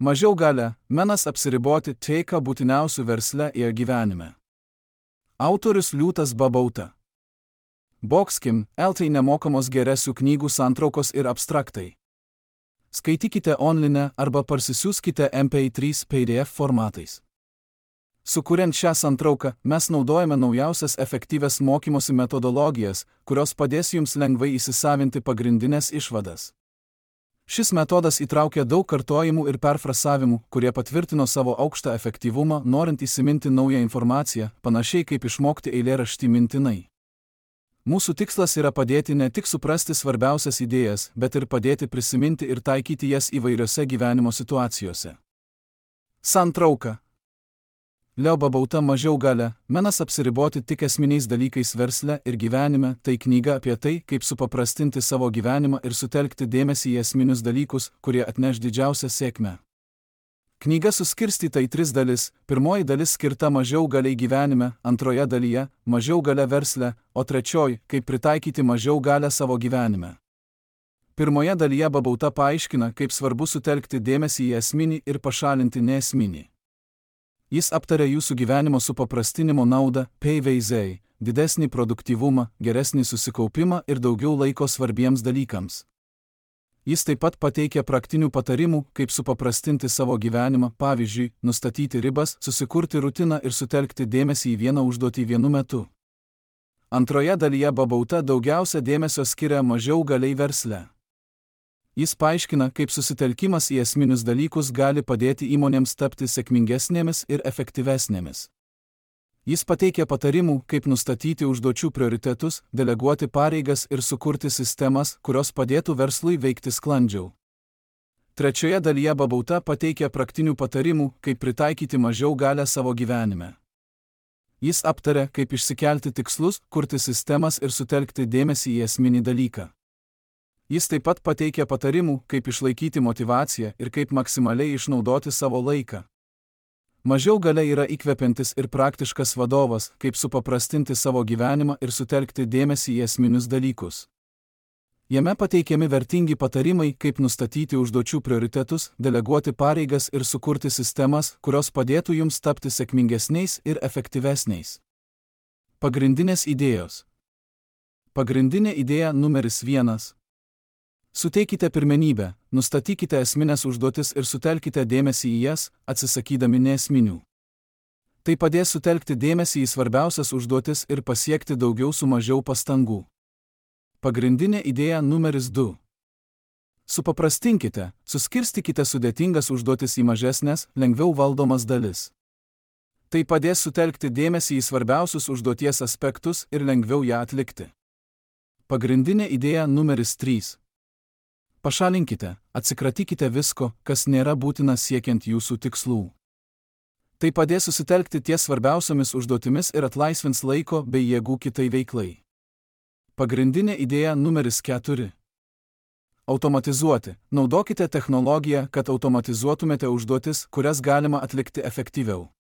Mažiau galia, menas apsiriboti tai, ką būtiniausių versle ir gyvenime. Autorius Liūtas Babauta. Boxkim, LT nemokamos geresių knygų santraukos ir abstraktai. Skaitykite online arba parsisiųskite MP3 PDF formatais. Sukuriant šią santrauką, mes naudojame naujausias efektyvias mokymosi metodologijas, kurios padės jums lengvai įsisavinti pagrindinės išvadas. Šis metodas įtraukia daug kartojimų ir perfrasavimų, kurie patvirtino savo aukštą efektyvumą, norint įsiminti naują informaciją, panašiai kaip išmokti eilėraštį mintinai. Mūsų tikslas yra padėti ne tik suprasti svarbiausias idėjas, bet ir padėti prisiminti ir taikyti jas įvairiose gyvenimo situacijose. Santrauka. Leo Babauta Mažiau galia, menas apsiriboti tik esminiais dalykais versle ir gyvenime, tai knyga apie tai, kaip supaprastinti savo gyvenimą ir sutelkti dėmesį į esminius dalykus, kurie atneš didžiausią sėkmę. Knyga suskirstyta į 3 dalis, pirmoji dalis skirta mažiau galiai gyvenime, antroje dalyje – mažiau galia versle, o trečioji – kaip pritaikyti mažiau galią savo gyvenime. Pirmoje dalyje Babauta paaiškina, kaip svarbu sutelkti dėmesį į esminį ir pašalinti neesminį. Jis aptarė jūsų gyvenimo supaprastinimo naudą, PVZ, didesnį produktyvumą, geresnį susikaupimą ir daugiau laiko svarbiems dalykams. Jis taip pat pateikė praktinių patarimų, kaip supaprastinti savo gyvenimą, pavyzdžiui, nustatyti ribas, susikurti rutiną ir sutelkti dėmesį į vieną užduotį vienu metu. Antroje dalyje Babauta daugiausia dėmesio skiria mažiau galiai versle. Jis paaiškina, kaip susitelkimas į esminius dalykus gali padėti įmonėms tapti sėkmingesnėmis ir efektyvesnėmis. Jis pateikė patarimų, kaip nustatyti užduočių prioritetus, deleguoti pareigas ir sukurti sistemas, kurios padėtų verslui veikti sklandžiau. Trečioje dalyje Babauta pateikė praktinių patarimų, kaip pritaikyti mažiau galią savo gyvenime. Jis aptarė, kaip išsikelti tikslus, kurti sistemas ir sutelkti dėmesį į esminį dalyką. Jis taip pat pateikė patarimų, kaip išlaikyti motyvaciją ir kaip maksimaliai išnaudoti savo laiką. Mažiau galia yra įkvepiantis ir praktiškas vadovas, kaip supaprastinti savo gyvenimą ir sutelkti dėmesį į esminius dalykus. Jame pateikiami vertingi patarimai, kaip nustatyti užduočių prioritetus, deleguoti pareigas ir sukurti sistemas, kurios padėtų jums tapti sėkmingesniais ir efektyvesniais. Pagrindinės idėjos. Pagrindinė idėja numeris 1. Suteikite pirmenybę, nustatykite esminės užduotis ir sutelkite dėmesį į jas, atsisakydami neesminių. Tai padės sutelkti dėmesį į svarbiausias užduotis ir pasiekti daugiau su mažiau pastangų. Pagrindinė idėja numeris 2. Supaprastinkite, suskirstykite sudėtingas užduotis į mažesnės, lengviau valdomas dalis. Tai padės sutelkti dėmesį į svarbiausius užduoties aspektus ir lengviau ją atlikti. Pagrindinė idėja numeris 3. Pašalinkite, atsikratykite visko, kas nėra būtina siekiant jūsų tikslų. Tai padės susitelkti ties svarbiausiomis užduotimis ir atlaisvins laiko bei jėgų kitai veiklai. Pagrindinė idėja numeris 4. Automatizuoti. Naudokite technologiją, kad automatizuotumėte užduotis, kurias galima atlikti efektyviau.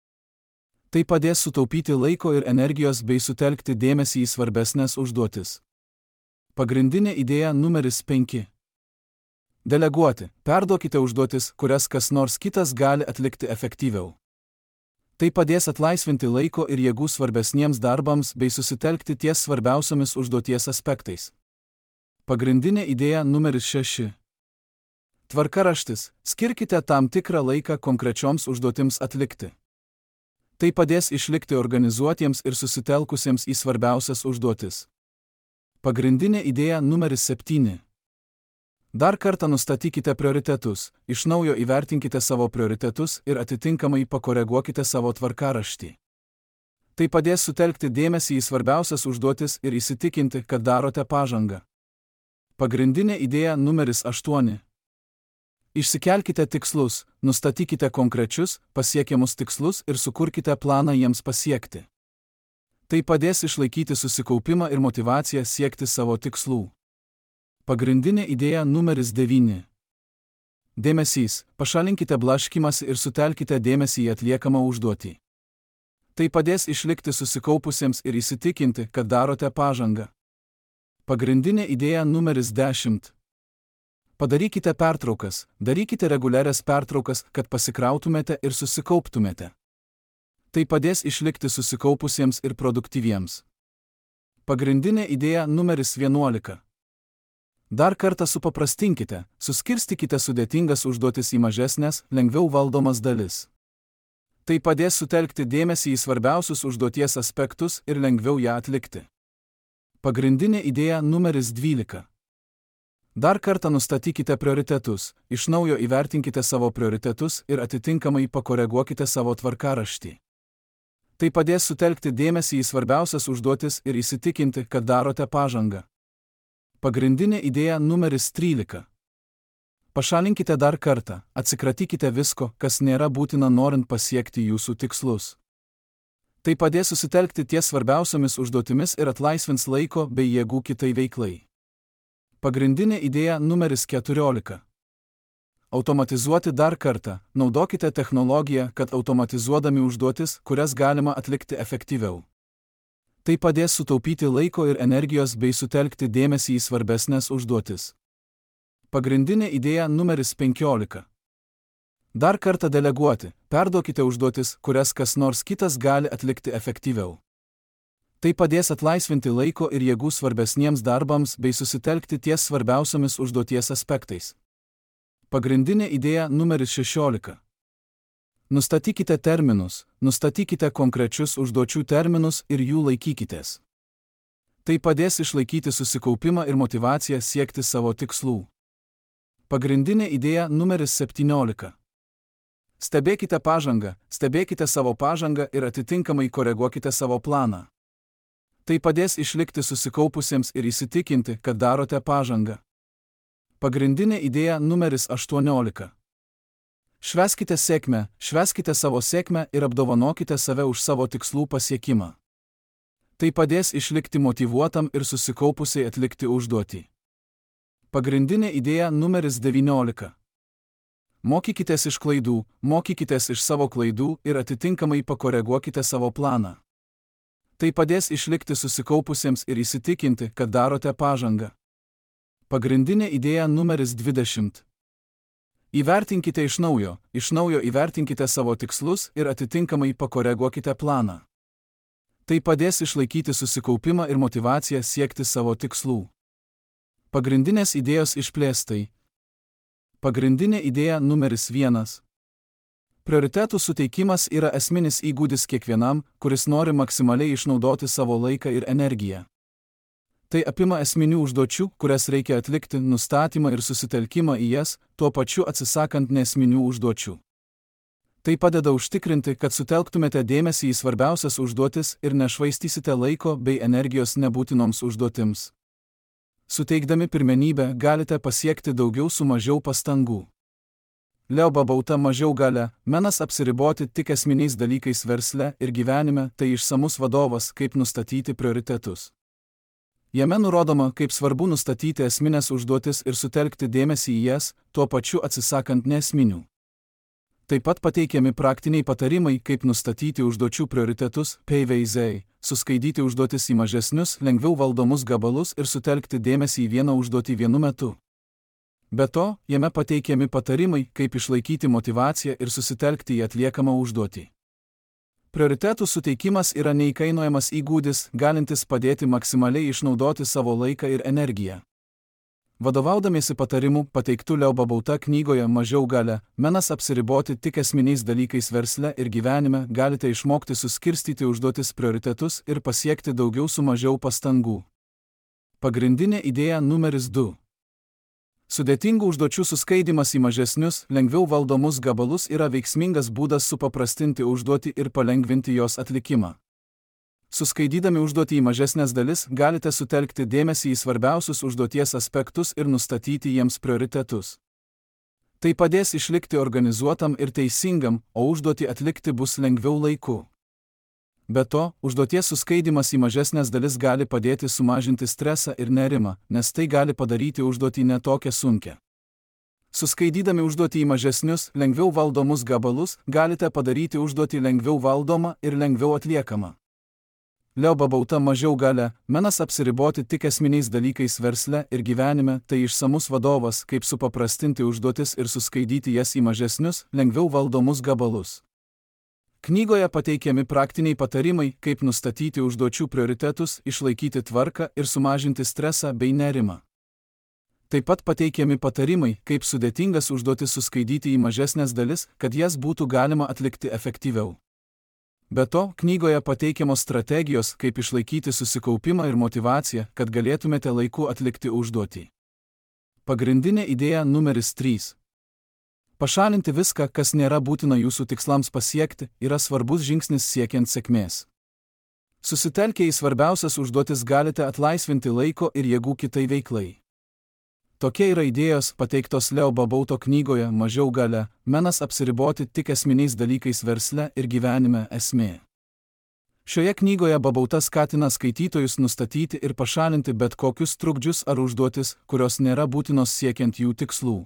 Tai padės sutaupyti laiko ir energijos bei sutelkti dėmesį į svarbesnės užduotis. Pagrindinė idėja numeris 5. Deleguoti. Perduokite užduotis, kurias kas nors kitas gali atlikti efektyviau. Tai padės atlaisvinti laiko ir jėgų svarbesniems darbams bei susitelkti ties svarbiausiomis užduoties aspektais. Pagrindinė idėja numeris 6. Tvarkaraštis. Skirkite tam tikrą laiką konkrečioms užduotims atlikti. Tai padės išlikti organizuotiems ir susitelkusiems į svarbiausias užduotis. Pagrindinė idėja numeris 7. Dar kartą nustatykite prioritetus, iš naujo įvertinkite savo prioritetus ir atitinkamai pakoreguokite savo tvarkaraštį. Tai padės sutelkti dėmesį į svarbiausias užduotis ir įsitikinti, kad darote pažangą. Pagrindinė idėja numeris 8. Išsikelkite tikslus, nustatykite konkrečius, pasiekiamus tikslus ir sukurkite planą jiems pasiekti. Tai padės išlaikyti susikaupimą ir motyvaciją siekti savo tikslų. Pagrindinė idėja numeris 9. Dėmesys. Pašalinkite blaškymąsi ir sutelkite dėmesį į atliekamą užduotį. Tai padės išlikti susikaupusiems ir įsitikinti, kad darote pažangą. Pagrindinė idėja numeris 10. Padarykite pertraukas, darykite reguliarias pertraukas, kad pasikrautumėte ir susikauptumėte. Tai padės išlikti susikaupusiems ir produktyviems. Pagrindinė idėja numeris 11. Dar kartą supaprastinkite, suskirstykite sudėtingas užduotis į mažesnės, lengviau valdomas dalis. Tai padės sutelkti dėmesį į svarbiausius užduoties aspektus ir lengviau ją atlikti. Pagrindinė idėja numeris 12. Dar kartą nustatykite prioritetus, iš naujo įvertinkite savo prioritetus ir atitinkamai pakoreguokite savo tvarkaraštį. Tai padės sutelkti dėmesį į svarbiausias užduotis ir įsitikinti, kad darote pažangą. Pagrindinė idėja numeris 13. Pašalinkite dar kartą, atsikratykite visko, kas nėra būtina norint pasiekti jūsų tikslus. Tai padės susitelkti ties svarbiausiomis užduotimis ir atlaisvins laiko bei jėgų kitai veiklai. Pagrindinė idėja numeris 14. Automatizuoti dar kartą, naudokite technologiją, kad automatizuodami užduotis, kurias galima atlikti efektyviau. Tai padės sutaupyti laiko ir energijos bei sutelkti dėmesį į svarbesnės užduotis. Pagrindinė idėja numeris 15. Dar kartą deleguoti, perduokite užduotis, kurias kas nors kitas gali atlikti efektyviau. Tai padės atlaisvinti laiko ir jėgų svarbesniems darbams bei susitelkti ties svarbiausiomis užduoties aspektais. Pagrindinė idėja numeris 16. Nustatykite terminus, nustatykite konkrečius užduočių terminus ir jų laikykitės. Tai padės išlaikyti susikaupimą ir motyvaciją siekti savo tikslų. Pagrindinė idėja numeris 17. Stebėkite pažangą, stebėkite savo pažangą ir atitinkamai koreguokite savo planą. Tai padės išlikti susikaupusiems ir įsitikinti, kad darote pažangą. Pagrindinė idėja numeris 18. Švęskite sėkmę, švęskite savo sėkmę ir apdovanokite save už savo tikslų pasiekimą. Tai padės išlikti motyvuotam ir susikaupusiai atlikti užduotį. Pagrindinė idėja numeris 19. Mokykitės iš klaidų, mokykitės iš savo klaidų ir atitinkamai pakoreguokite savo planą. Tai padės išlikti susikaupusiems ir įsitikinti, kad darote pažangą. Pagrindinė idėja numeris 20. Įvertinkite iš naujo įvertinkite savo tikslus ir atitinkamai pakoreguokite planą. Tai padės išlaikyti susikaupimą ir motyvaciją siekti savo tikslų. Pagrindinės idėjos išplėstai. Pagrindinė idėja numeris 1. Prioritetų suteikimas yra esminis įgūdis kiekvienam, kuris nori maksimaliai išnaudoti savo laiką ir energiją. Tai apima esminių užduočių, kurias reikia atlikti, nustatymą ir susitelkimą į jas, tuo pačiu atsisakant nesminių užduočių. Tai padeda užtikrinti, kad sutelktumėte dėmesį į svarbiausias užduotis ir nešvaistysite laiko bei energijos nebūtinoms užduotims. Suteikdami pirmenybę galite pasiekti daugiau su mažiau pastangų. Leo Babauta mažiau galia, menas apsiriboti tik esminiais dalykais versle ir gyvenime, tai išsamus vadovas, kaip nustatyti prioritetus. Jame nurodoma, kaip svarbu nustatyti esminės užduotis ir sutelkti dėmesį į jas, tuo pačiu atsisakant nesminių. Taip pat pateikiami praktiniai patarimai, kaip nustatyti užduočių prioritetus, PVZ, suskaidyti užduotis į mažesnius, lengviau valdomus gabalus ir sutelkti dėmesį į vieną užduotį vienu metu. Be to, jame pateikiami patarimai, kaip išlaikyti motyvaciją ir susitelkti į atliekamą užduotį. Prioritetų suteikimas yra neįkainojamas įgūdis, galintis padėti maksimaliai išnaudoti savo laiką ir energiją. Vadovaudamiesi patarimu pateiktų Leo Babauta knygoje Mažiau galia, menas apsiriboti tik esminiais dalykais versle ir gyvenime, galite išmokti suskirstyti užduotis prioritetus ir pasiekti daugiau su mažiau pastangų. Pagrindinė idėja numeris 2. Sudėtingų užduočių suskaidimas į mažesnius, lengviau valdomus gabalus yra veiksmingas būdas supaprastinti užduotį ir palengvinti jos atlikimą. Suskaidydami užduotį į mažesnės dalis, galite sutelkti dėmesį į svarbiausius užduoties aspektus ir nustatyti jiems prioritetus. Tai padės išlikti organizuotam ir teisingam, o užduotį atlikti bus lengviau laiku. Be to, užduoties suskaidimas į mažesnės dalis gali padėti sumažinti stresą ir nerimą, nes tai gali padaryti užduotį netokią sunkią. Suskaidydami užduotį į mažesnius, lengviau valdomus gabalus, galite padaryti užduotį lengviau valdomą ir lengviau atliekamą. Leo babauta mažiau galia, menas apsiriboti tik esminiais dalykais versle ir gyvenime, tai išsamus vadovas, kaip supaprastinti užduotis ir suskaidyti jas į mažesnius, lengviau valdomus gabalus. Knygoje pateikiami praktiniai patarimai, kaip nustatyti užduočių prioritetus, išlaikyti tvarką ir sumažinti stresą bei nerimą. Taip pat pateikiami patarimai, kaip sudėtingas užduotis suskaidyti į mažesnės dalis, kad jas būtų galima atlikti efektyviau. Be to, knygoje pateikiamos strategijos, kaip išlaikyti susikaupimą ir motyvaciją, kad galėtumėte laiku atlikti užduotį. Pagrindinė idėja numeris 3. Pašalinti viską, kas nėra būtina jūsų tikslams pasiekti, yra svarbus žingsnis siekiant sėkmės. Susitelkę į svarbiausias užduotis galite atlaisvinti laiko ir jėgų kitai veiklai. Tokie yra idėjos pateiktos Leo babauto knygoje Mažiau galia, menas apsiriboti tik esminiais dalykais versle ir gyvenime esmė. Šioje knygoje babauta skatina skaitytojus nustatyti ir pašalinti bet kokius trukdžius ar užduotis, kurios nėra būtinos siekiant jų tikslų.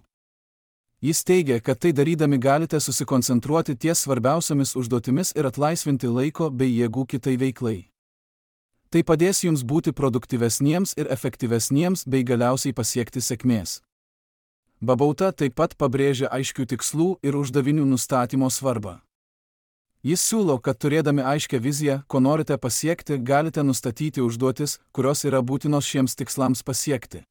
Jis teigia, kad tai darydami galite susikoncentruoti ties svarbiausiamis užduotimis ir atlaisvinti laiko bei jėgų kitai veiklai. Tai padės jums būti produktyvesniems ir efektyvesniems bei galiausiai pasiekti sėkmės. Babauta taip pat pabrėžia aiškių tikslų ir uždavinių nustatymo svarbą. Jis siūlo, kad turėdami aiškią viziją, ko norite pasiekti, galite nustatyti užduotis, kurios yra būtinos šiems tikslams pasiekti.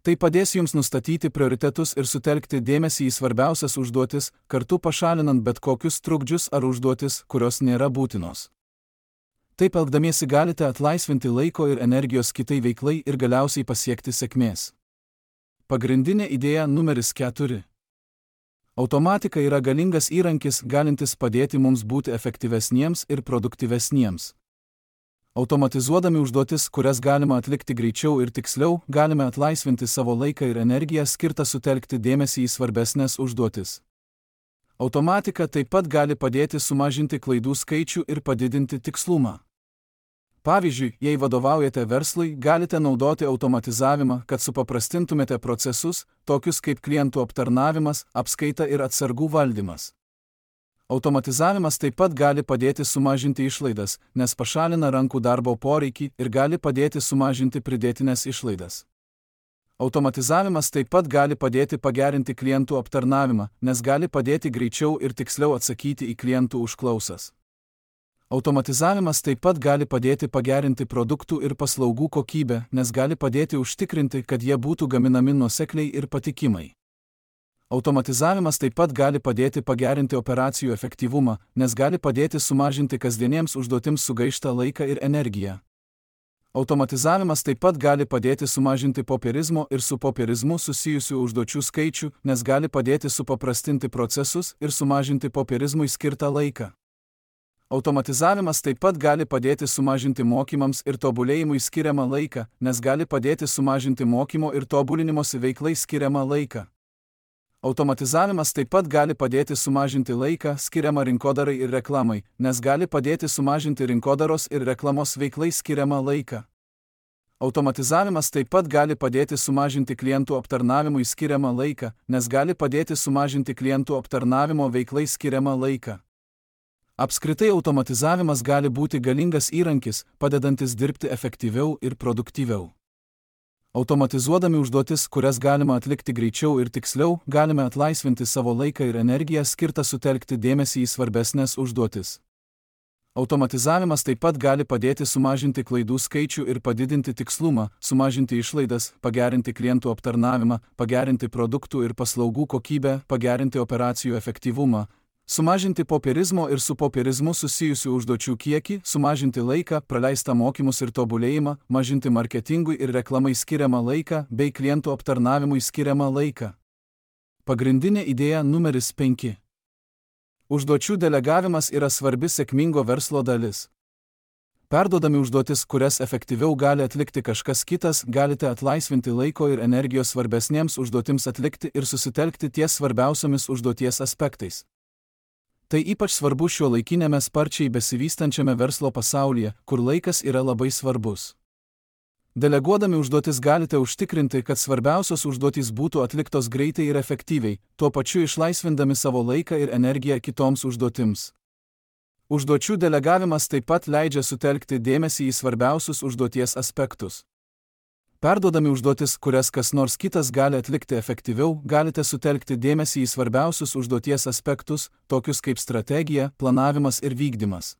Tai padės jums nustatyti prioritetus ir sutelkti dėmesį į svarbiausias užduotis, kartu pašalinant bet kokius trukdžius ar užduotis, kurios nėra būtinos. Taip elgdamiesi galite atlaisvinti laiko ir energijos kitai veiklai ir galiausiai pasiekti sėkmės. Pagrindinė idėja numeris 4. Automatika yra galingas įrankis, galintis padėti mums būti efektyvesniems ir produktyvesniems. Automatizuodami užduotis, kurias galima atlikti greičiau ir tiksliau, galime atlaisvinti savo laiką ir energiją skirtą sutelkti dėmesį į svarbesnės užduotis. Automatika taip pat gali padėti sumažinti klaidų skaičių ir padidinti tikslumą. Pavyzdžiui, jei vadovaujate verslui, galite naudoti automatizavimą, kad supaprastintumėte procesus, tokius kaip klientų aptarnavimas, apskaita ir atsargų valdymas. Automatizavimas taip pat gali padėti sumažinti išlaidas, nes pašalina rankų darbo poreikį ir gali padėti sumažinti pridėtinės išlaidas. Automatizavimas taip pat gali padėti pagerinti klientų aptarnavimą, nes gali padėti greičiau ir tiksliau atsakyti į klientų užklausas. Automatizavimas taip pat gali padėti pagerinti produktų ir paslaugų kokybę, nes gali padėti užtikrinti, kad jie būtų gaminami nuosekliai ir patikimai. Automatizavimas taip pat gali padėti pagerinti operacijų efektyvumą, nes gali padėti sumažinti kasdieniems užduotims sugaištą laiką ir energiją. Automatizavimas taip pat gali padėti sumažinti popierizmo ir su popierizmu susijusių užduočių skaičių, nes gali padėti supaprastinti procesus ir sumažinti popierizmui skirtą laiką. Automatizavimas taip pat gali padėti sumažinti mokymams ir tobulėjimui skiriamą laiką, nes gali padėti sumažinti mokymo ir tobulinimosi veiklai skiriamą laiką. Automatizavimas taip pat gali padėti sumažinti laiką skiriamą rinkodarai ir reklamai, nes gali padėti sumažinti rinkodaros ir reklamos veiklai skiriamą laiką. Automatizavimas taip pat gali padėti sumažinti klientų aptarnavimui skiriamą laiką, nes gali padėti sumažinti klientų aptarnavimo veiklai skiriamą laiką. Apskritai automatizavimas gali būti galingas įrankis, padedantis dirbti efektyviau ir produktyviau. Automatizuodami užduotis, kurias galima atlikti greičiau ir tiksliau, galime atlaisvinti savo laiką ir energiją skirtą sutelkti dėmesį į svarbesnės užduotis. Automatizavimas taip pat gali padėti sumažinti klaidų skaičių ir padidinti tikslumą, sumažinti išlaidas, pagerinti klientų aptarnavimą, pagerinti produktų ir paslaugų kokybę, pagerinti operacijų efektyvumą, sumažinti popierizmo ir su popierizmu susijusių užduočių kiekį, sumažinti laiką, praleistą mokymus ir tobulėjimą, mažinti marketingui ir reklamai skiriamą laiką bei klientų aptarnavimui skiriamą laiką. Pagrindinė idėja numeris 5. Užduočių delegavimas yra svarbi sėkmingo verslo dalis. Perduodami užduotis, kurias efektyviau gali atlikti kažkas kitas, galite atlaisvinti laiko ir energijos svarbesniems užduotims atlikti ir susitelkti ties svarbiausiomis užduoties aspektais. Tai ypač svarbu šiuolaikinėme sparčiai besivystančiame verslo pasaulyje, kur laikas yra labai svarbus. Deleguodami užduotis galite užtikrinti, kad svarbiausios užduotys būtų atliktos greitai ir efektyviai, tuo pačiu išlaisvindami savo laiką ir energiją kitoms užduotims. Užduočių delegavimas taip pat leidžia sutelkti dėmesį į svarbiausius užduoties aspektus. Perduodami užduotis, kurias kas nors kitas gali atlikti efektyviau, galite sutelkti dėmesį į svarbiausius užduoties aspektus, tokius kaip strategija, planavimas ir vykdymas.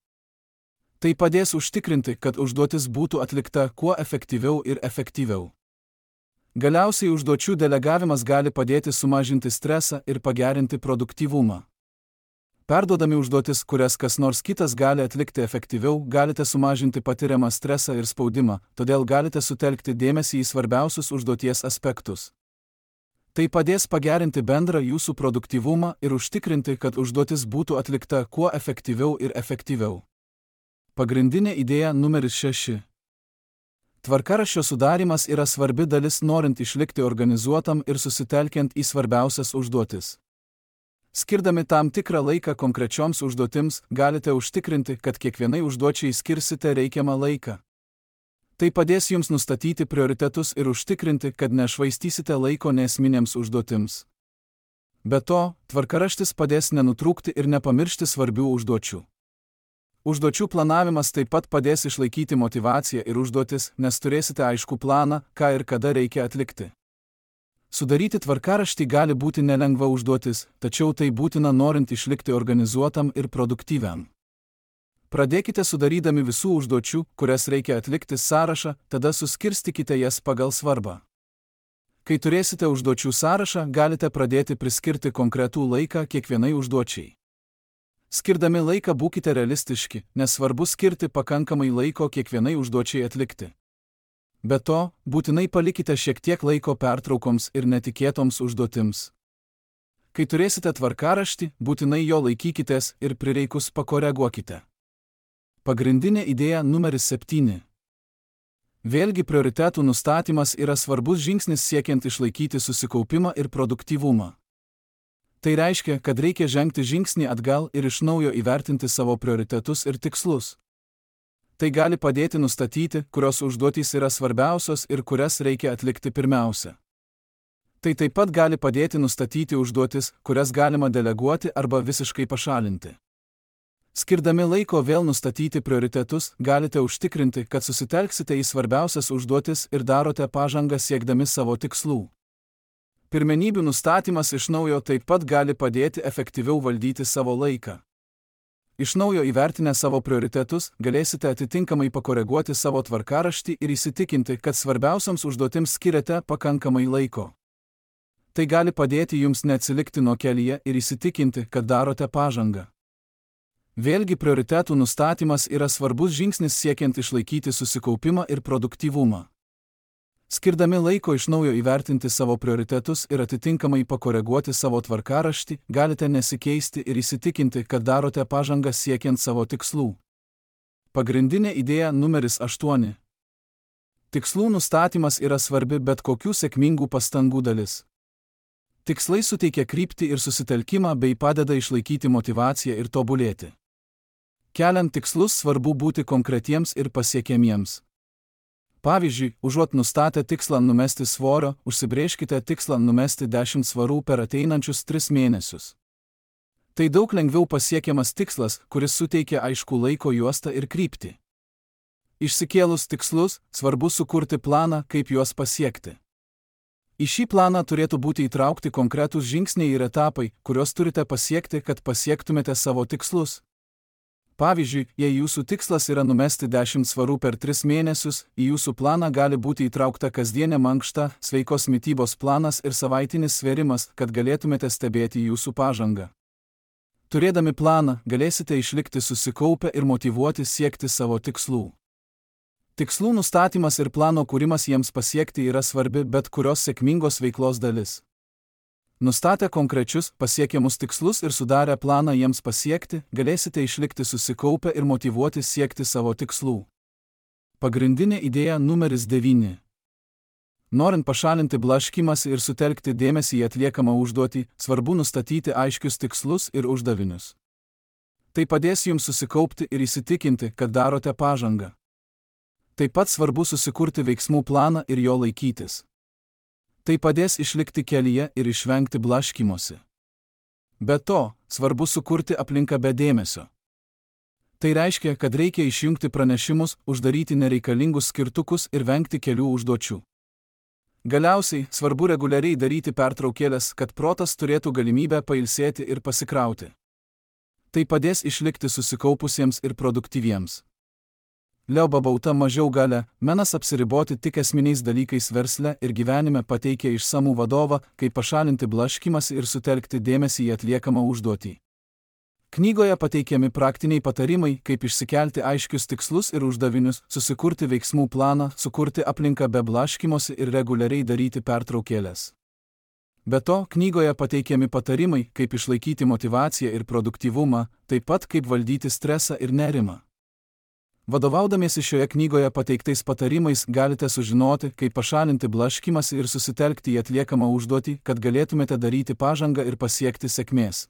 Tai padės užtikrinti, kad užduotis būtų atlikta kuo efektyviau ir efektyviau. Galiausiai užduočių delegavimas gali padėti sumažinti stresą ir pagerinti produktyvumą. Perduodami užduotis, kurias kas nors kitas gali atlikti efektyviau, galite sumažinti patiriamą stresą ir spaudimą, todėl galite sutelkti dėmesį į svarbiausius užduoties aspektus. Tai padės pagerinti bendrą jūsų produktyvumą ir užtikrinti, kad užduotis būtų atlikta kuo efektyviau ir efektyviau. Pagrindinė idėja numeris 6. Tvarkaraščio sudarimas yra svarbi dalis norint išlikti organizuotam ir susitelkiant į svarbiausias užduotis. Skirdami tam tikrą laiką konkrečioms užduotims, galite užtikrinti, kad kiekvienai užduočiai skirsite reikiamą laiką. Tai padės jums nustatyti prioritetus ir užtikrinti, kad nešvaistysite laiko neesminėms užduotims. Be to, tvarkaraštis padės nenutrūkti ir nepamiršti svarbių užduočių. Užduočių planavimas taip pat padės išlaikyti motyvaciją ir užduotis, nes turėsite aiškų planą, ką ir kada reikia atlikti. Sudaryti tvarkaraštį gali būti nelengva užduotis, tačiau tai būtina norint išlikti organizuotam ir produktyviam. Pradėkite sudarydami visų užduočių, kurias reikia atlikti sąrašą, tada suskirstykite jas pagal svarbą. Kai turėsite užduočių sąrašą, galite pradėti priskirti konkretų laiką kiekvienai užduočiai. Skirdami laiką būkite realistiški, nes svarbu skirti pakankamai laiko kiekvienai užduočiai atlikti. Be to, būtinai palikite šiek tiek laiko pertraukoms ir netikėtoms užduotims. Kai turėsite tvarkaraštį, būtinai jo laikykitės ir prireikus pakoreguokite. Pagrindinė idėja numeris 7. Vėlgi prioritetų nustatymas yra svarbus žingsnis siekiant išlaikyti susikaupimą ir produktyvumą. Tai reiškia, kad reikia žengti žingsnį atgal ir iš naujo įvertinti savo prioritetus ir tikslus. Tai gali padėti nustatyti, kurios užduotys yra svarbiausios ir kurias reikia atlikti pirmiausia. Tai taip pat gali padėti nustatyti užduotis, kurias galima deleguoti arba visiškai pašalinti. Skirdami laiko vėl nustatyti prioritetus, galite užtikrinti, kad susitelksite į svarbiausias užduotis ir darote pažangą siekdami savo tikslų. Pirmenybių nustatymas iš naujo taip pat gali padėti efektyviau valdyti savo laiką. Iš naujo įvertinę savo prioritetus, galėsite atitinkamai pakoreguoti savo tvarkaraštį ir įsitikinti, kad svarbiausiams užduotims skiriate pakankamai laiko. Tai gali padėti jums neatsilikti nuo kelyje ir įsitikinti, kad darote pažangą. Vėlgi prioritetų nustatymas yra svarbus žingsnis siekiant išlaikyti susikaupimą ir produktyvumą. Skirdami laiko iš naujo įvertinti savo prioritetus ir atitinkamai pakoreguoti savo tvarkaraštį, galite nesikeisti ir įsitikinti, kad darote pažangą siekiant savo tikslų. Pagrindinė idėja numeris 8. Tikslų nustatymas yra svarbi bet kokių sėkmingų pastangų dalis. Tikslai suteikia kryptį ir susitelkimą bei padeda išlaikyti motyvaciją ir tobulėti. Keliant tikslus svarbu būti konkretiems ir pasiekiamiems. Pavyzdžiui, užuot nustatę tikslą numesti svorio, užsibrėžkite tikslą numesti 10 svarų per ateinančius 3 mėnesius. Tai daug lengviau pasiekiamas tikslas, kuris suteikia aiškų laiko juostą ir kryptį. Išsikėlus tikslus, svarbu sukurti planą, kaip juos pasiekti. Į šį planą turėtų būti įtraukti konkretūs žingsniai ir etapai, kuriuos turite pasiekti, kad pasiektumėte savo tikslus. Pavyzdžiui, jei jūsų tikslas yra numesti 10 svarų per 3 mėnesius, į jūsų planą gali būti įtraukta kasdienė mankšta, sveikos mitybos planas ir savaitinis svėrimas, kad galėtumėte stebėti jūsų pažangą. Turėdami planą, galėsite išlikti susikaupę ir motyvuoti siekti savo tikslų. Tikslų nustatymas ir plano kūrimas jiems pasiekti yra svarbi bet kurios sėkmingos veiklos dalis. Nustatę konkrečius, pasiekiamus tikslus ir sudarę planą jiems pasiekti, galėsite išlikti susikaupę ir motyvuoti siekti savo tikslų. Pagrindinė idėja numeris 9. Norint pašalinti blaškymąsi ir sutelkti dėmesį į atliekamą užduotį, svarbu nustatyti aiškius tikslus ir uždavinius. Tai padės jums susikaupti ir įsitikinti, kad darote pažangą. Taip pat svarbu susikurti veiksmų planą ir jo laikytis. Tai padės išlikti kelyje ir išvengti blaškymosi. Be to, svarbu sukurti aplinką be dėmesio. Tai reiškia, kad reikia išjungti pranešimus, uždaryti nereikalingus skirtukus ir vengti kelių užduočių. Galiausiai, svarbu reguliariai daryti pertraukėles, kad protas turėtų galimybę pailsėti ir pasikrauti. Tai padės išlikti susikaupusiems ir produktyviems. Leo Babauta mažiau galia, menas apsiriboti tik esminiais dalykais versle ir gyvenime pateikia išsamų vadovą, kaip pašalinti blaškymąsi ir sutelkti dėmesį į atliekamą užduotį. Knygoje pateikiami praktiniai patarimai, kaip išsikelti aiškius tikslus ir uždavinius, susikurti veiksmų planą, sukurti aplinką be blaškymosi ir reguliariai daryti pertraukėles. Be to, knygoje pateikiami patarimai, kaip išlaikyti motyvaciją ir produktyvumą, taip pat kaip valdyti stresą ir nerimą. Vadovaudamiesi šioje knygoje pateiktais patarimais galite sužinoti, kaip pašalinti blaškymąsi ir susitelkti į atliekamą užduotį, kad galėtumėte daryti pažangą ir pasiekti sėkmės.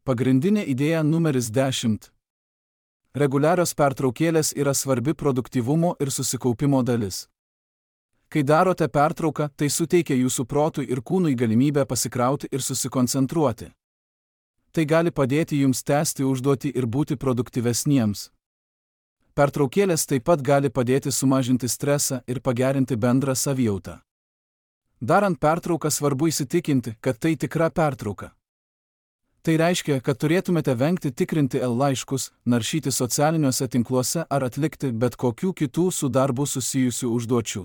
Pagrindinė idėja numeris 10. Reguliarios pertraukėlės yra svarbi produktyvumo ir susikaupimo dalis. Kai darote pertrauką, tai suteikia jūsų protui ir kūnui galimybę pasikrauti ir susikoncentruoti. Tai gali padėti jums tęsti užduotį ir būti produktyvesniems. Pertraukėlės taip pat gali padėti sumažinti stresą ir pagerinti bendrą savijautą. Darant pertrauką svarbu įsitikinti, kad tai tikra pertrauka. Tai reiškia, kad turėtumėte vengti tikrinti laiškus, naršyti socialiniuose tinkluose ar atlikti bet kokių kitų su darbu susijusių užduočių.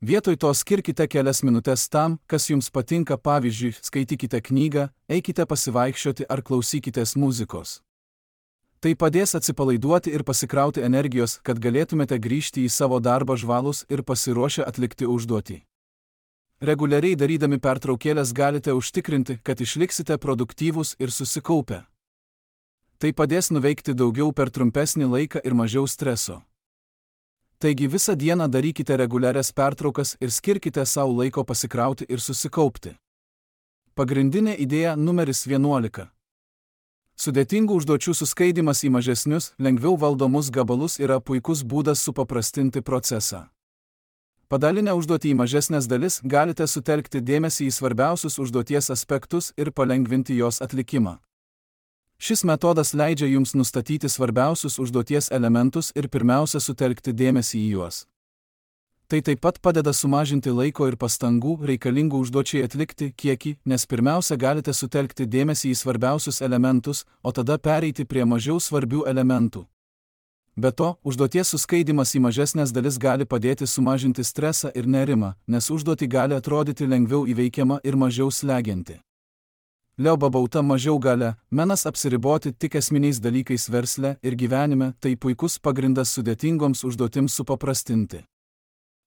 Vietoj to skirkite kelias minutes tam, kas jums patinka, pavyzdžiui, skaitykite knygą, eikite pasivaikščioti ar klausykitės muzikos. Tai padės atsipalaiduoti ir pasikrauti energijos, kad galėtumėte grįžti į savo darbą žvalūs ir pasiruošę atlikti užduotį. Reguliariai darydami pertraukėlės galite užtikrinti, kad išliksite produktyvūs ir susikaupę. Tai padės nuveikti daugiau per trumpesnį laiką ir mažiau streso. Taigi visą dieną darykite reguliarias pertraukas ir skirkite savo laiko pasikrauti ir susikaupti. Pagrindinė idėja numeris 11. Sudėtingų užduočių suskaidimas į mažesnius, lengviau valdomus gabalus yra puikus būdas supaprastinti procesą. Padalinę užduotį į mažesnės dalis galite sutelkti dėmesį į svarbiausius užduoties aspektus ir palengvinti jos atlikimą. Šis metodas leidžia jums nustatyti svarbiausius užduoties elementus ir pirmiausia sutelkti dėmesį į juos. Tai taip pat padeda sumažinti laiko ir pastangų reikalingų užduočiai atlikti kiekį, nes pirmiausia galite sutelkti dėmesį į svarbiausius elementus, o tada pereiti prie mažiau svarbių elementų. Be to, užduoties suskaidimas į mažesnės dalis gali padėti sumažinti stresą ir nerimą, nes užduotį gali atrodyti lengviau įveikiama ir mažiau slegianti. Leo Babauta mažiau galia, menas apsiriboti tik esminiais dalykais versle ir gyvenime, tai puikus pagrindas sudėtingoms užduotims supaprastinti.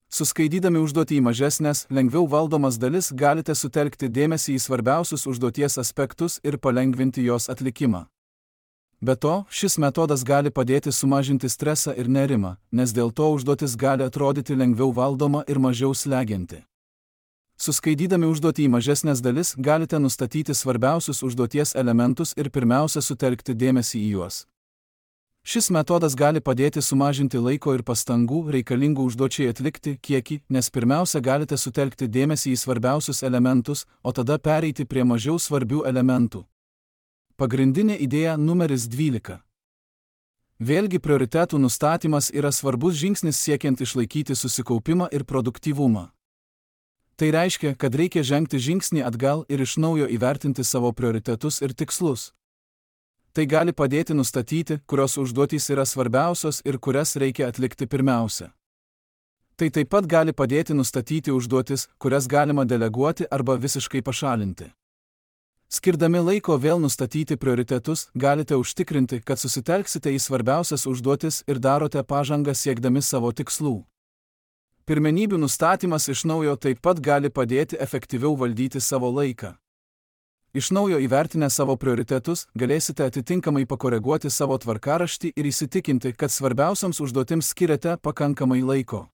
Suskaidydami užduotį į mažesnės, lengviau valdomas dalis galite sutelkti dėmesį į svarbiausius užduoties aspektus ir palengvinti jos atlikimą. Be to, šis metodas gali padėti sumažinti stresą ir nerimą, nes dėl to užduotis gali atrodyti lengviau valdoma ir mažiau slegianti. Suskaidydami užduotį į mažesnės dalis galite nustatyti svarbiausius užduoties elementus ir pirmiausia sutelkti dėmesį į juos. Šis metodas gali padėti sumažinti laiko ir pastangų reikalingų užduočiai atlikti kiekį, nes pirmiausia galite sutelkti dėmesį į svarbiausius elementus, o tada pereiti prie mažiau svarbių elementų. Pagrindinė idėja numeris 12. Vėlgi prioritetų nustatymas yra svarbus žingsnis siekiant išlaikyti susikaupimą ir produktyvumą. Tai reiškia, kad reikia žengti žingsnį atgal ir iš naujo įvertinti savo prioritetus ir tikslus. Tai gali padėti nustatyti, kurios užduotys yra svarbiausios ir kurias reikia atlikti pirmiausia. Tai taip pat gali padėti nustatyti užduotis, kurias galima deleguoti arba visiškai pašalinti. Skirdami laiko vėl nustatyti prioritetus, galite užtikrinti, kad susitelksite į svarbiausias užduotis ir darote pažangą siekdami savo tikslų. Pirmenybių nustatymas iš naujo taip pat gali padėti efektyviau valdyti savo laiką. Iš naujo įvertinę savo prioritetus, galėsite atitinkamai pakoreguoti savo tvarkaraštį ir įsitikinti, kad svarbiausiams užduotims skiriate pakankamai laiko.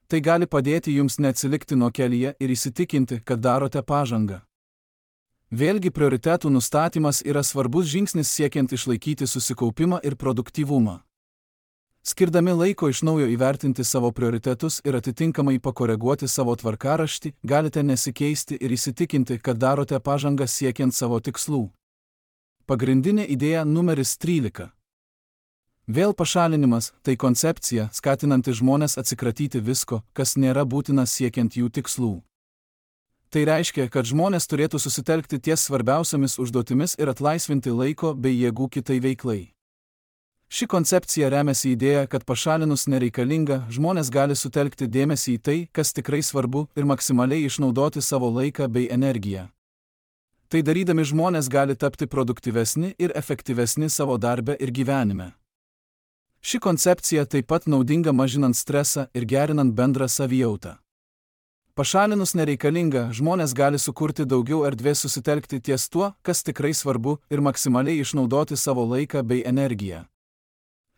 Tai gali padėti jums neatsilikti nuo kelyje ir įsitikinti, kad darote pažangą. Vėlgi prioritetų nustatymas yra svarbus žingsnis siekiant išlaikyti susikaupimą ir produktyvumą. Skirdami laiko iš naujo įvertinti savo prioritetus ir atitinkamai pakoreguoti savo tvarkaraštį, galite nesikeisti ir įsitikinti, kad darote pažangą siekiant savo tikslų. Pagrindinė idėja numeris 13. Vėl pašalinimas – tai koncepcija, skatinanti žmones atsikratyti visko, kas nėra būtina siekiant jų tikslų. Tai reiškia, kad žmonės turėtų susitelkti ties svarbiausiamis užduotimis ir atlaisvinti laiko bei jėgų kitai veiklai. Ši koncepcija remiasi idėja, kad pašalinus nereikalingą, žmonės gali sutelkti dėmesį į tai, kas tikrai svarbu, ir maksimaliai išnaudoti savo laiką bei energiją. Tai darydami žmonės gali tapti produktyvesni ir efektyvesni savo darbe ir gyvenime. Ši koncepcija taip pat naudinga mažinant stresą ir gerinant bendrą savijautą. Pašalinus nereikalingą, žmonės gali sukurti daugiau erdvės susitelkti ties tuo, kas tikrai svarbu, ir maksimaliai išnaudoti savo laiką bei energiją.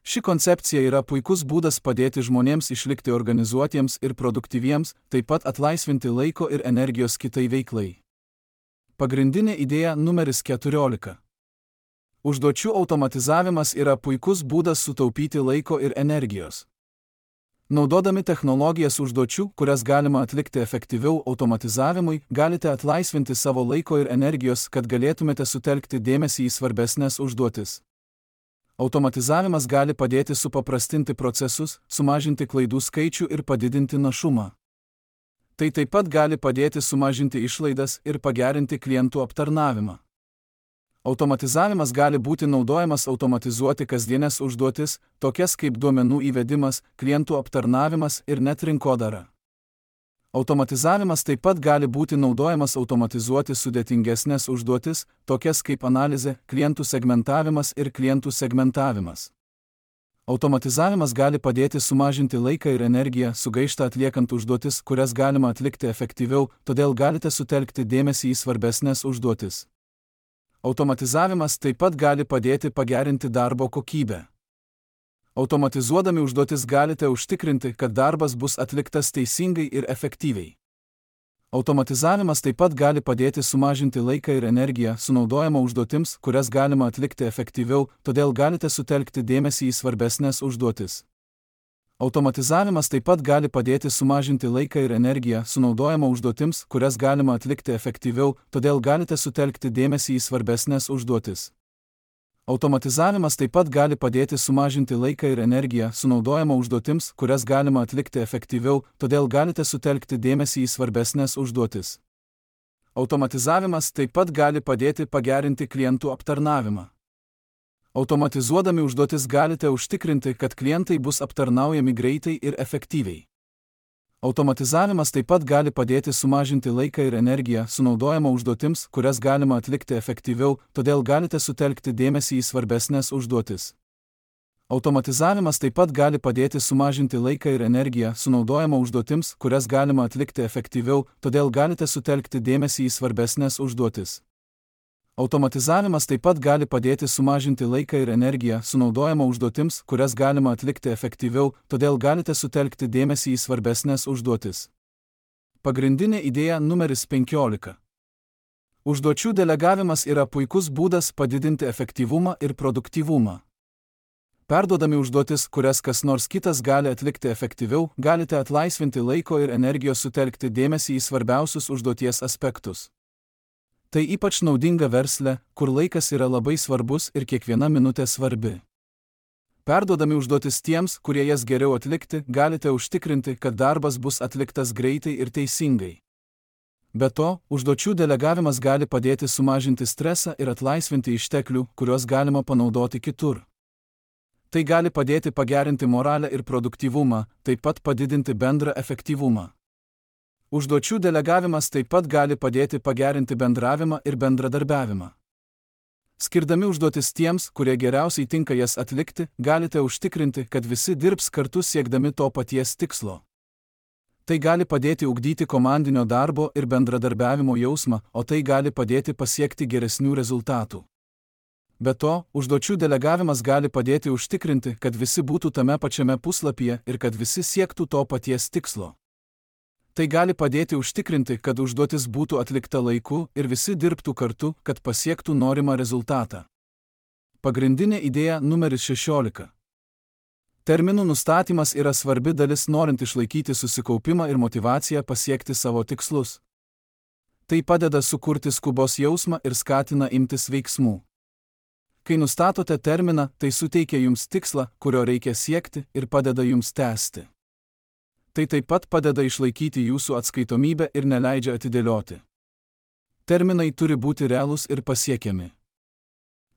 Ši koncepcija yra puikus būdas padėti žmonėms išlikti organizuotiems ir produktyviems, taip pat atlaisvinti laiko ir energijos kitai veiklai. Pagrindinė idėja numeris 14. Užduočių automatizavimas yra puikus būdas sutaupyti laiko ir energijos. Naudodami technologijas užduočių, kurias galima atlikti efektyviau automatizavimui, galite atlaisvinti savo laiko ir energijos, kad galėtumėte sutelkti dėmesį į svarbesnės užduotis. Automatizavimas gali padėti supaprastinti procesus, sumažinti klaidų skaičių ir padidinti našumą. Tai taip pat gali padėti sumažinti išlaidas ir pagerinti klientų aptarnavimą. Automatizavimas gali būti naudojamas automatizuoti kasdienės užduotis, tokias kaip duomenų įvedimas, klientų aptarnavimas ir net rinkodara. Automatizavimas taip pat gali būti naudojamas automatizuoti sudėtingesnės užduotis, tokias kaip analizė, klientų segmentavimas ir klientų segmentavimas. Automatizavimas gali padėti sumažinti laiką ir energiją sugaištą atliekant užduotis, kurias galima atlikti efektyviau, todėl galite sutelkti dėmesį į svarbesnės užduotis. Automatizavimas taip pat gali padėti pagerinti darbo kokybę. Automatizuodami užduotis galite užtikrinti, kad darbas bus atliktas teisingai ir efektyviai. Automatizavimas taip pat gali padėti sumažinti laiką ir energiją sunaudojama užduotims, kurias galima atlikti efektyviau, todėl galite sutelkti dėmesį į svarbesnės užduotis. Automatizavimas taip pat gali padėti sumažinti laiką ir energiją sunaudojama užduotims, kurias galima atlikti efektyviau, todėl galite sutelkti dėmesį į svarbesnės užduotis. Automatizavimas taip pat gali padėti sumažinti laiką ir energiją sunaudojama užduotims, kurias galima atlikti efektyviau, todėl galite sutelkti dėmesį į svarbesnės užduotis. Automatizavimas taip pat gali padėti pagerinti klientų aptarnavimą. Automatizuodami užduotis galite užtikrinti, kad klientai bus aptarnaujami greitai ir efektyviai. Automatizavimas taip pat gali padėti sumažinti laiką ir energiją sunaudojama užduotims, kurias galima atlikti efektyviau, todėl galite sutelkti dėmesį į svarbesnės užduotis. Automatizavimas taip pat gali padėti sumažinti laiką ir energiją sunaudojama užduotims, kurias galima atlikti efektyviau, todėl galite sutelkti dėmesį į svarbesnės užduotis. Automatizavimas taip pat gali padėti sumažinti laiką ir energiją sunaudojama užduotims, kurias galima atlikti efektyviau, todėl galite sutelkti dėmesį į svarbesnės užduotis. Pagrindinė idėja numeris 15. Užduočių delegavimas yra puikus būdas padidinti efektyvumą ir produktyvumą. Perduodami užduotis, kurias kas nors kitas gali atlikti efektyviau, galite atlaisvinti laiko ir energijos sutelkti dėmesį į svarbiausius užduoties aspektus. Tai ypač naudinga versle, kur laikas yra labai svarbus ir kiekviena minutė svarbi. Perduodami užduotis tiems, kurie jas geriau atlikti, galite užtikrinti, kad darbas bus atliktas greitai ir teisingai. Be to, užduočių delegavimas gali padėti sumažinti stresą ir atlaisvinti išteklių, kuriuos galima panaudoti kitur. Tai gali padėti pagerinti moralę ir produktyvumą, taip pat padidinti bendrą efektyvumą. Užduočių delegavimas taip pat gali padėti pagerinti bendravimą ir bendradarbiavimą. Skirdami užduotis tiems, kurie geriausiai tinka jas atlikti, galite užtikrinti, kad visi dirbs kartu siekdami to paties tikslo. Tai gali padėti ugdyti komandinio darbo ir bendradarbiavimo jausmą, o tai gali padėti pasiekti geresnių rezultatų. Be to, užduočių delegavimas gali padėti užtikrinti, kad visi būtų tame pačiame puslapyje ir kad visi siektų to paties tikslo. Tai gali padėti užtikrinti, kad užduotis būtų atlikta laiku ir visi dirbtų kartu, kad pasiektų norimą rezultatą. Pagrindinė idėja numeris 16. Terminų nustatymas yra svarbi dalis norint išlaikyti susikaupimą ir motyvaciją pasiekti savo tikslus. Tai padeda sukurti skubos jausmą ir skatina imtis veiksmų. Kai nustatote terminą, tai suteikia jums tikslą, kurio reikia siekti ir padeda jums tęsti. Tai taip pat padeda išlaikyti jūsų atskaitomybę ir neleidžia atidėlioti. Terminai turi būti realūs ir pasiekiami.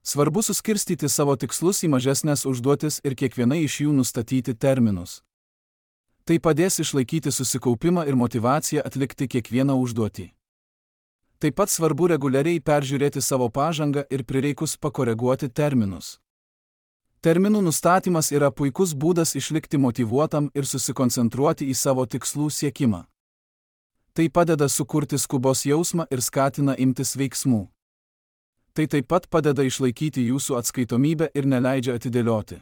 Svarbu suskirstyti savo tikslus į mažesnes užduotis ir kiekvienai iš jų nustatyti terminus. Tai padės išlaikyti susikaupimą ir motyvaciją atlikti kiekvieną užduotį. Taip pat svarbu reguliariai peržiūrėti savo pažangą ir prireikus pakoreguoti terminus. Terminų nustatymas yra puikus būdas išlikti motyvuotam ir susikoncentruoti į savo tikslų siekimą. Tai padeda sukurti skubos jausmą ir skatina imtis veiksmų. Tai taip pat padeda išlaikyti jūsų atskaitomybę ir neleidžia atidėlioti.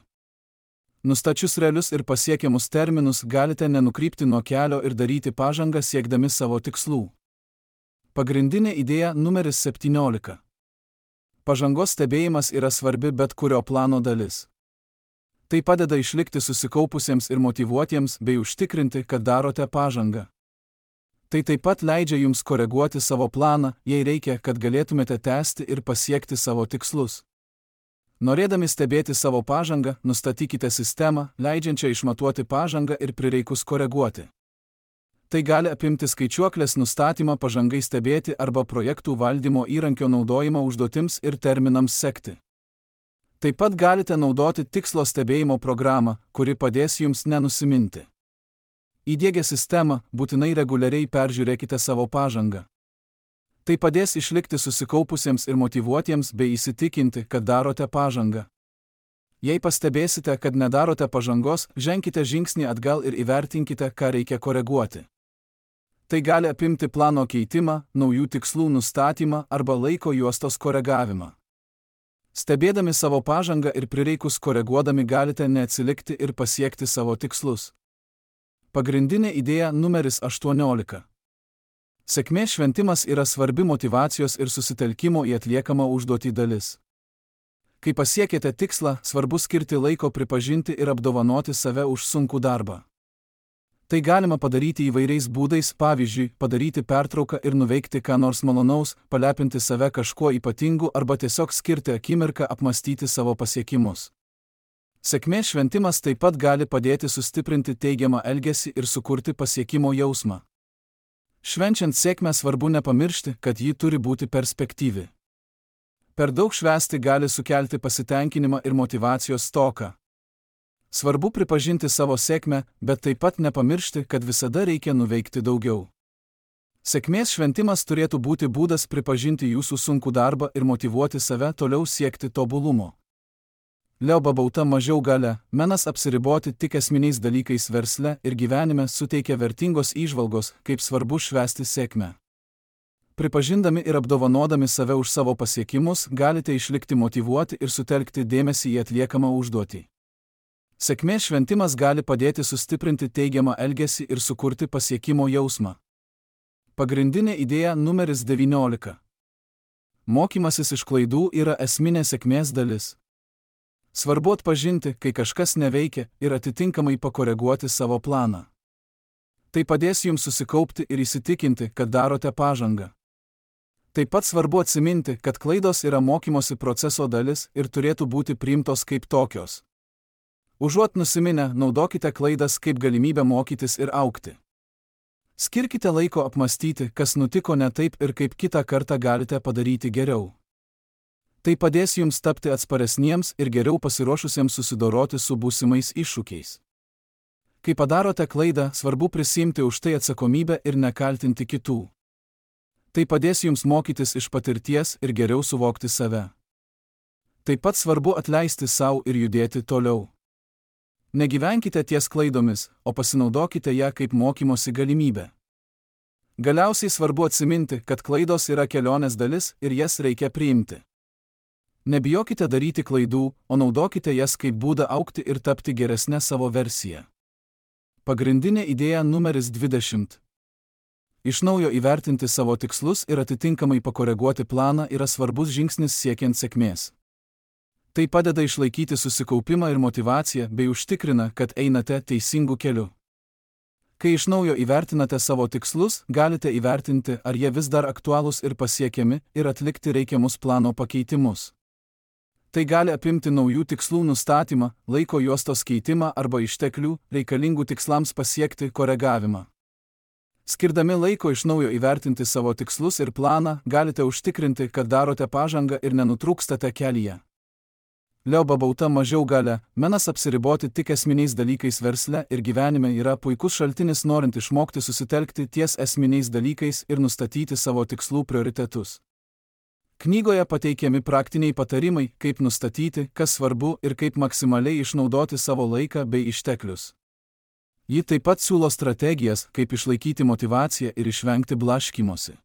Nustačius realius ir pasiekiamus terminus galite nenukrypti nuo kelio ir daryti pažangą siekdami savo tikslų. Pagrindinė idėja numeris 17. Pažangos stebėjimas yra svarbi bet kurio plano dalis. Tai padeda išlikti susikaupusiems ir motyvuotiems bei užtikrinti, kad darote pažangą. Tai taip pat leidžia jums koreguoti savo planą, jei reikia, kad galėtumėte tęsti ir pasiekti savo tikslus. Norėdami stebėti savo pažangą, nustatykite sistemą, leidžiančią išmatuoti pažangą ir prireikus koreguoti. Tai gali apimti skaičiuoklės nustatymą pažangai stebėti arba projektų valdymo įrankio naudojimą užduotims ir terminams sekti. Taip pat galite naudoti tikslo stebėjimo programą, kuri padės jums nenusiminti. Įdiegę sistemą, būtinai reguliariai peržiūrėkite savo pažangą. Tai padės išlikti susikaupusiems ir motyvuotiems bei įsitikinti, kad darote pažangą. Jei pastebėsite, kad nedarote pažangos, ženkite žingsnį atgal ir įvertinkite, ką reikia koreguoti. Tai gali apimti plano keitimą, naujų tikslų nustatymą arba laiko juostos koregavimą. Stebėdami savo pažangą ir prireikus koreguodami galite neatsilikti ir pasiekti savo tikslus. Pagrindinė idėja numeris 18. Sėkmės šventimas yra svarbi motyvacijos ir susitelkimo į atliekamą užduotį dalis. Kai pasiekėte tikslą, svarbu skirti laiko pripažinti ir apdovanoti save už sunkų darbą. Tai galima padaryti įvairiais būdais, pavyzdžiui, padaryti pertrauką ir nuveikti ką nors malonaus, palepinti save kažkuo ypatingu arba tiesiog skirti akimirką apmąstyti savo pasiekimus. Sėkmės šventimas taip pat gali padėti sustiprinti teigiamą elgesį ir sukurti pasiekimo jausmą. Švenčiant sėkmę svarbu nepamiršti, kad ji turi būti perspektyvi. Per daug švęsti gali sukelti pasitenkinimą ir motyvacijos stoką. Svarbu pripažinti savo sėkmę, bet taip pat nepamiršti, kad visada reikia nuveikti daugiau. Sėkmės šventimas turėtų būti būdas pripažinti jūsų sunkų darbą ir motyvuoti save toliau siekti tobulumo. Leo Babauta mažiau galia, menas apsiriboti tik esminiais dalykais versle ir gyvenime suteikia vertingos įžvalgos, kaip svarbu švęsti sėkmę. Pripažindami ir apdovanodami save už savo pasiekimus, galite išlikti motyvuoti ir sutelkti dėmesį į atliekamą užduotį. Sėkmės šventimas gali padėti sustiprinti teigiamą elgesį ir sukurti pasiekimo jausmą. Pagrindinė idėja numeris 19. Mokymasis iš klaidų yra esminė sėkmės dalis. Svarbu atpažinti, kai kažkas neveikia ir atitinkamai pakoreguoti savo planą. Tai padės jums susikaupti ir įsitikinti, kad darote pažangą. Taip pat svarbu atsiminti, kad klaidos yra mokymosi proceso dalis ir turėtų būti priimtos kaip tokios. Užuot nusiminę, naudokite klaidas kaip galimybę mokytis ir augti. Skirkite laiko apmąstyti, kas nutiko ne taip ir kaip kitą kartą galite padaryti geriau. Tai padės jums tapti atsparesniems ir geriau pasiruošusiems susidoroti su būsimais iššūkiais. Kai padarote klaidą, svarbu prisiimti už tai atsakomybę ir nekaltinti kitų. Tai padės jums mokytis iš patirties ir geriau suvokti save. Taip pat svarbu atleisti sau ir judėti toliau. Negyvenkite ties klaidomis, o pasinaudokite ją kaip mokymosi galimybę. Galiausiai svarbu atsiminti, kad klaidos yra kelionės dalis ir jas reikia priimti. Nebijokite daryti klaidų, o naudokite jas kaip būdą augti ir tapti geresnę savo versiją. Pagrindinė idėja numeris 20. Iš naujo įvertinti savo tikslus ir atitinkamai pakoreguoti planą yra svarbus žingsnis siekiant sėkmės. Tai padeda išlaikyti susikaupimą ir motyvaciją bei užtikrina, kad einate teisingu keliu. Kai iš naujo įvertinate savo tikslus, galite įvertinti, ar jie vis dar aktualūs ir pasiekiami ir atlikti reikiamus plano pakeitimus. Tai gali apimti naujų tikslų nustatymą, laiko juostos keitimą arba išteklių, reikalingų tikslams pasiekti, koregavimą. Skirdami laiko iš naujo įvertinti savo tikslus ir planą, galite užtikrinti, kad darote pažangą ir nenutrūkstate kelyje. Leo Babauta mažiau galia, menas apsiriboti tik esminiais dalykais versle ir gyvenime yra puikus šaltinis norint išmokti susitelkti ties esminiais dalykais ir nustatyti savo tikslų prioritetus. Knygoje pateikiami praktiniai patarimai, kaip nustatyti, kas svarbu ir kaip maksimaliai išnaudoti savo laiką bei išteklius. Ji taip pat siūlo strategijas, kaip išlaikyti motyvaciją ir išvengti blaškymosi.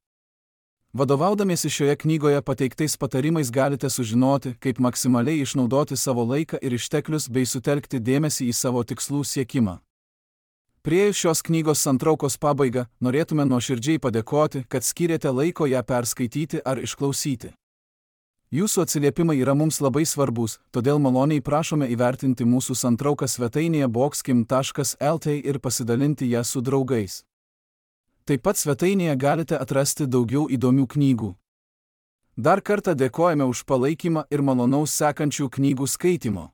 Vadovaudamiesi šioje knygoje pateiktais patarimais galite sužinoti, kaip maksimaliai išnaudoti savo laiką ir išteklius bei sutelkti dėmesį į savo tikslų siekimą. Priėjus šios knygos santraukos pabaigą, norėtume nuoširdžiai padėkoti, kad skyrėte laiko ją perskaityti ar išklausyti. Jūsų atsiliepimai yra mums labai svarbus, todėl maloniai prašome įvertinti mūsų santrauką svetainėje boxkim.lt ir pasidalinti ją su draugais. Taip pat svetainėje galite atrasti daugiau įdomių knygų. Dar kartą dėkojame už palaikymą ir malonaus sekančių knygų skaitimo.